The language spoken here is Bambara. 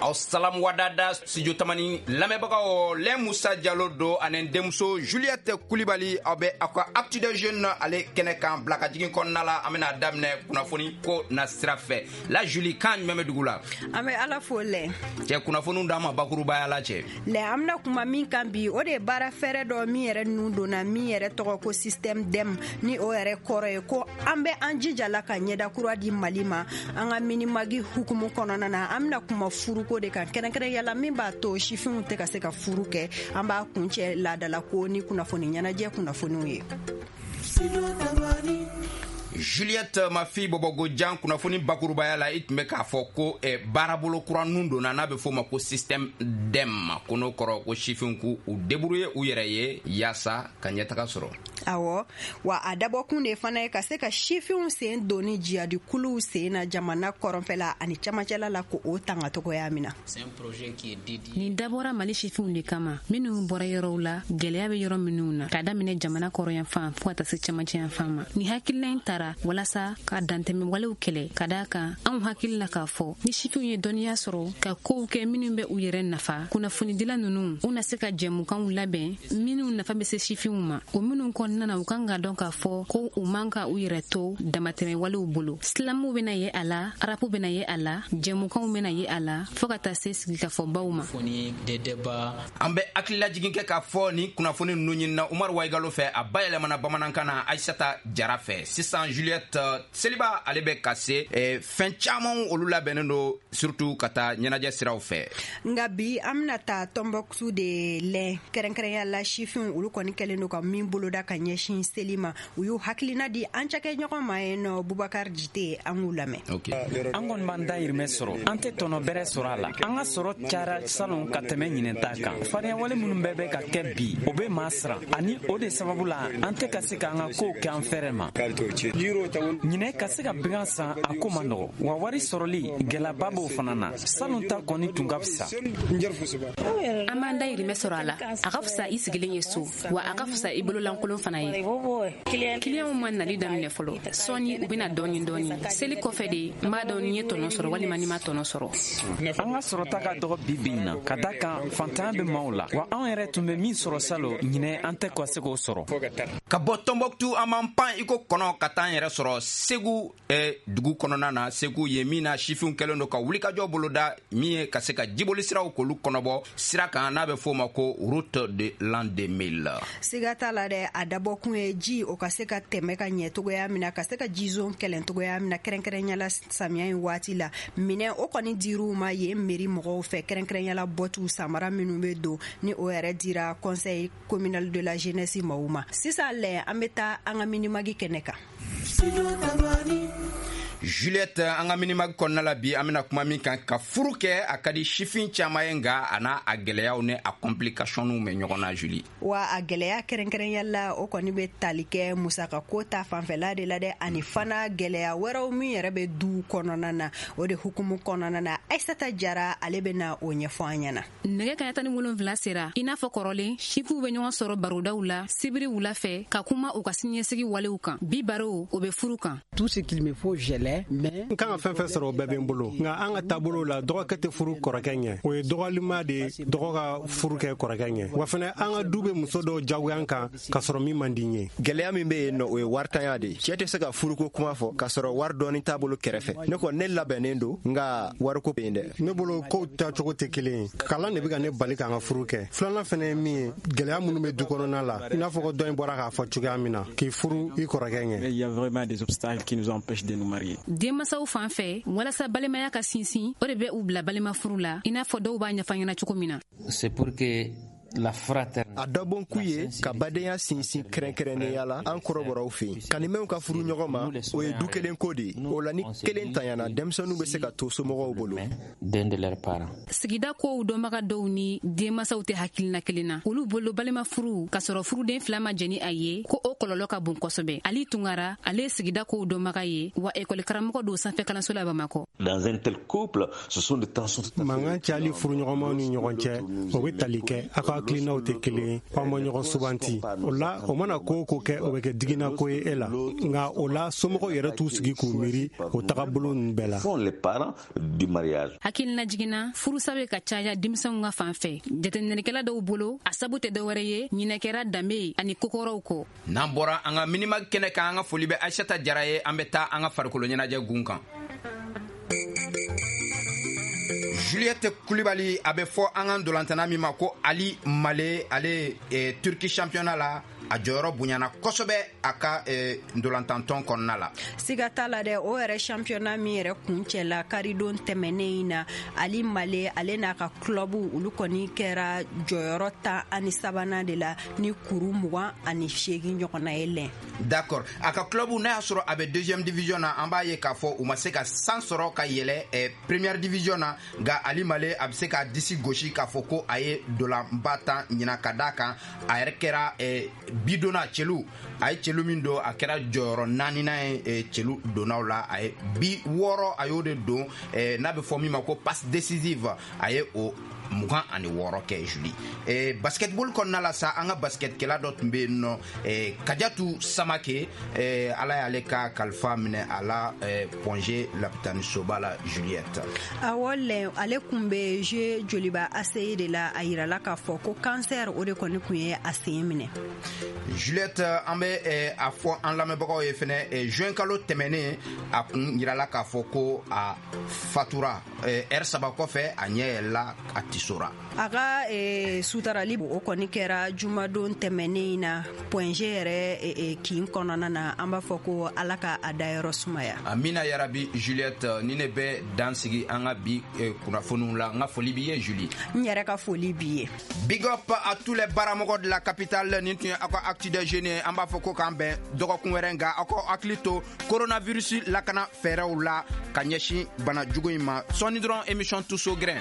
Aw salamu wadada Studio Tamani lamɛnbagaw, lɛ Musa Jalo do ani denmuso Juliette Kulibali. Aw bɛ aw ka Actu des Jeunes ale kɛnɛ kan bila ka jigin kɔnɔna la. An bɛna daminɛ kunnafoni ko na sira fɛ la. Julie, kan jumɛn bɛ dugu la? An bɛ Ala fo lɛ. Cɛ, kunnafoniw d'an ma bakurubaya la, cɛ. Lɛ, an bɛna kuma min kan bi, o de ye baara fɛɛrɛ dɔ min yɛrɛ nun donna, min yɛrɛ tɔgɔ ko système DEM, ni o yɛrɛ kɔrɔ ye ko an bɛ an jija la ka ɲɛda kura di Mali ma. An ka Minimag hukumu kɔnɔna na, an bɛna kuma furuko de kan, kɛrɛnkɛrɛnya la min b'a to sifinw tɛ ka se ka furu kɛ. An b'a kuncɛ laadalako ni kunnafoni ɲɛnajɛ kunnafoniw ye. Juliette, ma fille Bɔbɔgojan, kunnafoni bakurubaya la, i tun bɛ k'a fɔ ko baarabolo kura nun donna n'a bɛ f'o ma ko système DEM, ko n'o kɔrɔ ko sifinw k'u u débrouiller u yɛrɛ ye yaasa ka ɲɛtaga sɔrɔ. Awɔ, wa a dabɔkun de fana ye ka se ka sifinw sen donni jihadikuluw sen na jamana kɔrɔnfɛla ani camancɛla la, ko o tanga togoya min na. Nin dabɔra Mali sifinw de kama, minnu bɔra yɔrɔw la, gwɛlɛya bɛ yɔrɔ minnu na, ka daminɛ jamana kɔrɔyanfan fɔɔ ka taa se camancɛyanfan ma. Ni hakilina in tara walasa ka dantɛmɛ walew kɛlɛ, ka daa kan anw hakili la k'a fɔ ni sifinw ye dɔnniya sɔrɔ ka kow kɛ minnu bɛ u yɛrɛ nafa, kunnafonidila nunu u na se ka jɛmukanw labɛn minnu nafa bɛ se sifinw ma, o minnu kɔnɔna na u kan ka dɔn k'a fɔ ko u man ka u yɛrɛ to damatɛmɛ walew bolo. Silamuw bɛna ye a la, rap bɛna ye a la, jɛmukanw bɛna ye a la, fɔɔ ka taa se sigikafɔbaw ma. An bɛ hakililajigin kɛ k'a fɔ ni kunnafoni ninnu ɲinina Umaru Wayigalo fɛ, a bayɛlɛmana bamanankan na Ayisata Jara fɛ. Sisan Juliette, seliba ale bɛ ka se, fɛn caman olu labɛnnen don, surtout ka taa ɲɛnajɛ siraw fɛ. Nka bi, an bɛna taa Tɔnbɔkutu de lɛ, kɛrɛnkɛrɛnya la sifinw olu kɔni kɛlen don ka min boloda ka ɲɛsin seli ma. U y'u hakilina di an cakɛɲɔgɔn ma yen nɔ, Bubakar Jite. An k'u lamɛn. An kɔni b'an dayirimɛ sɔrɔ, an tɛ tɔnɔ bɛrɛ sɔrɔ a la. An ka sɔrɔ cayara salon ka tɛmɛ ɲinɛ ta kan. Fariyawale minnu bɛɛ bɛ ka kɛ bi, o bɛ maa siran, ani o de sababu la an tɛ ka se k'an ka kow kɛ an fɛrɛ ma. Ɲinɛ, ka se ka bigan san, a ko man nɔgɔ wa wari sɔrɔli gɛlɛyaba b'o fana na. Salon ta kɔni tun ka fisa. An b'an dayirimɛ sɔrɔ a la. A ka fisa i sigilen ye so, wa a ka fisa i bololankolon fana ye. Kiliyanw ma nali daminɛ fɔlɔ. Sɔɔni u bɛna dɔɔni dɔɔni. Seli kɔfɛ de n b'a dɔn ni ye tɔnɔ sɔrɔ walima ni ma tɔnɔ sɔrɔ. An ka sɔrɔta ka dɔgɔ bi bi in na, ka da kan fantanya bɛ maaw la, wa anw yɛrɛ tun bɛ min sɔrɔ salo, ɲinɛ an tɛ ka se k'o sɔrɔ. Ka bɔ Tɔnbɔkutu, an b'an pan i ko kɔnɔ ka taa an yɛrɛ sɔrɔ Segu dugu kɔnɔna na. Segu ye min na sifinw kɛlen don ka wulikajɔ boloda min ye ka se ka jiboli siraw k'olu kɔnɔbɔ sira kan, n'a bɛ f'o ma ko Route de l'an 2000. Siga t'a la dɛ, a dabɔkun ye ji o ka se ka tɛmɛ ka ɲɛ togoya min na, ka se ka jizon kɛlɛ togoya min na, kɛrɛnkɛrɛnya la samiya in waati la. Minɛ o kɔni dir'u ma yen mairie mɔgɔw fɛ, kɛrɛnkɛrɛnya la bɔtiw, samara minnu bɛ don, ni o yɛrɛ dira Conseil communal de la jeunesse maaw ma. Sisan lɛ, an bɛ taa an ka Minimag kɛnɛ kan. Juliette, an ka Minimag kɔnɔna la bi, an bɛna kuma min kan, ka furu kɛ, a ka di sifin caman ye, nka a n'a a gɛlɛyaw ni a complicationw bɛ ɲɔgɔn na, Julie. Wa a gɛlɛya, kɛrɛnkɛrɛnya la, o kɔni bɛ tali kɛ musaka ko ta fanfɛla de la dɛ, ani fana gɛlɛya wɛrɛw min yɛrɛ bɛ du kɔnɔna na. O de hukumu kɔnɔna na, Ayisata Jara ale bɛ na o ɲɛfɔ an ɲɛna. Nɛgɛ kaɲa 17 sera. I n'a fɔ kɔrɔlen, sifinw bɛ ɲɔgɔn sɔrɔ barodaw la sibiri wula fɛ ka kuma u ka siniɲɛsigi walew kan. Bi baro, o bɛ furu kan. Tout ce qu'il me faut, je l'ai, mais N kan ka fɛn fɛn sɔrɔ, o bɛɛ bɛ n bolo, nka an ka taabolo la, dɔgɔkɛ tɛ furu kɔrɔkɛ ɲɛ. O ye dɔgɔlima de ye, dɔgɔ ka furu kɛ kɔrɔkɛ ɲɛ. Wa fɛnɛ, an ka du bɛ muso dɔw jagoya kan k'a sɔrɔ min man di n ye. Gɛlɛya min bɛ yen nɔ, o ye waritanya de ye. Cɛɛ tɛ se ka furuko kuma fɔ k'a sɔrɔ wari dɔɔni t'a bolo kɛrɛfɛ. Ne kɔni, ne labɛnnen don, nka wariko bɛ yen dɛ. Ne bolo, kow taacogo tɛ kelen ye. Kalan de bɛ ka ne bali k'an ka furu kɛ. Filanan fɛnɛ ye min ye, gɛlɛya minnu bɛ du kɔnɔna la, i n'a fɔ ko dɔ in bɔra k'a fɔ cogoya min na, k'i furu i kɔrɔkɛ ɲɛ. Il y a vraiment des obstacles qui nous empêchent de nous marier. Denmasaw fan fɛ, walasa balimaya ka sinsin, o de bɛ u bila balima furu la, i n'a fɔ dɔw b'a ɲɛfɔ ɲɛna cogo min na. C'est pour que la fraternité. A dabɔnkun ye ka badenya sinsin, kɛrɛnkɛrɛnnenya la an kɔrɔbɔrɔw fɛ yen. Kanimɛw ka furu ɲɔgɔn ma, o ye du kelen ko de ye. O la, ni kelen tanyana, denmisɛnninw bɛ se ka to somɔgɔw bolo. D'un de leurs parents. Sigida kow dɔnbaga dɔw ni denmasaw tɛ hakilina kelen na. Olu bolo, balima furu k'a sɔrɔ furuden fila ma jɛni a ye, ko o kɔlɔlɔ ka bon kosɛbɛ. Ali Tungara, ale ye sigida kow dɔnbaga ye, wa ekɔli karamɔgɔ don sanfɛ kalanso la Bamakɔ. Dans un tel couple, ce sont des tensions tout à fait Mankan cayali furuɲɔgɔnmaw ni ɲɔgɔn cɛ, o bɛ tali kɛ aw ka hakilinaw tɛ kelen. kelen ye, aw ma ɲɔgɔn subanti. O la, o mana ko o ko kɛ, o bɛ kɛ diginako ye e la. Nka o la, somɔgɔw yɛrɛ t'u sigi k'u miiri o tagabolo ninnu bɛɛ la. Hakilina jiginna, furusa bɛ ka caya denmisɛnw ka fan fɛ. Jateminɛlikɛla dɔw bolo, a sabu tɛ dɔwɛrɛ ye, ɲinɛ kɛra danbe ye ani kokɔrɔw kɔ. N'an bɔra an ka Minimag kɛnɛ kan, an ka foli bɛ Aïssata Jara ye. An bɛ taa an ka farikolo ɲɛnajɛ gun kan. Juliette Kulibali, a bɛ fɔ an ka ntolantana min ma ko Ali Male, ale Turki championnat la, a jɔyɔrɔ bonyana kosɛbɛ a ka ntolantantɔn kɔnɔna la. Siga t'a la dɛ, o yɛrɛ championnat min yɛrɛ kuncɛla karidon tɛmɛnen in na, Ali Male, ale n'a ka club, olu kɔni kɛra jɔyɔrɔ 13nan de la ni kuru 28 ɲɔgɔnna ye lɛn. D'accord, a ka club, n'a y'a sɔrɔ a bɛ deuxième division na, an b'a ye k'a fɔ u ma se ka san sɔrɔ ka yɛlɛ première division na. Nka Ali Male, a bɛ se k'a disi gosi k'a fɔ ko a ye dolanba tan ɲina, ka d'a kan a yɛrɛ kɛra bidonna celu. A ye celu min don, a kɛra jɔyɔrɔ naaninan ye celu donnaw la. A ye bi 6, a y'o de don, n'a bɛ fɔ min ma ko passe décisive, a ye o 26 kɛ. Julie, basketball kɔnɔna la sa, an ka basketkɛla dɔ tun bɛ yen nɔ, Kajatu Samake, Ala y'ale ka kalifa minɛ a la Point G lapitanisoba la, Juliette. Awɔ lɛ, ale kun bɛ jouer Joliba ACI de la. A yirala k'a fɔ ko cancer, o de kɔni kun ye a sen minɛ. Juliette, an bɛ a fɔ an lamɛnbagaw ye fɛnɛ, juin kalo tɛmɛnen, a kun yirala k'a fɔ ko a fatura. Ɛri 3 kɔfɛ, a ɲɛ yɛlɛla, a tisora. A ka sutarali, o kɔni kɛra jumadon tɛmɛnen in na Point G yɛrɛ kin kɔnɔna na. An b'a fɔ ko Ala ka a dayɔrɔ sumaya. Amina yarabi. Juliette, ni ne bɛ dan sigi an ka bi kunnafoniw la. N ka foli b'i ye, Julie. N yɛrɛ ka foli b'i ye. Big up à tous les baramɔgɔ de la capitale. Nin tun ye aw ka Actu des Jeunes ye. An b'a fɔ ko k'an bɛn dɔgɔkun wɛrɛ, nka aw ka hakili to coronavirus lakana fɛɛrɛw la ka ɲɛsin bana jugu in ma. Sɔɔni dɔrɔn, émission Tous au grain.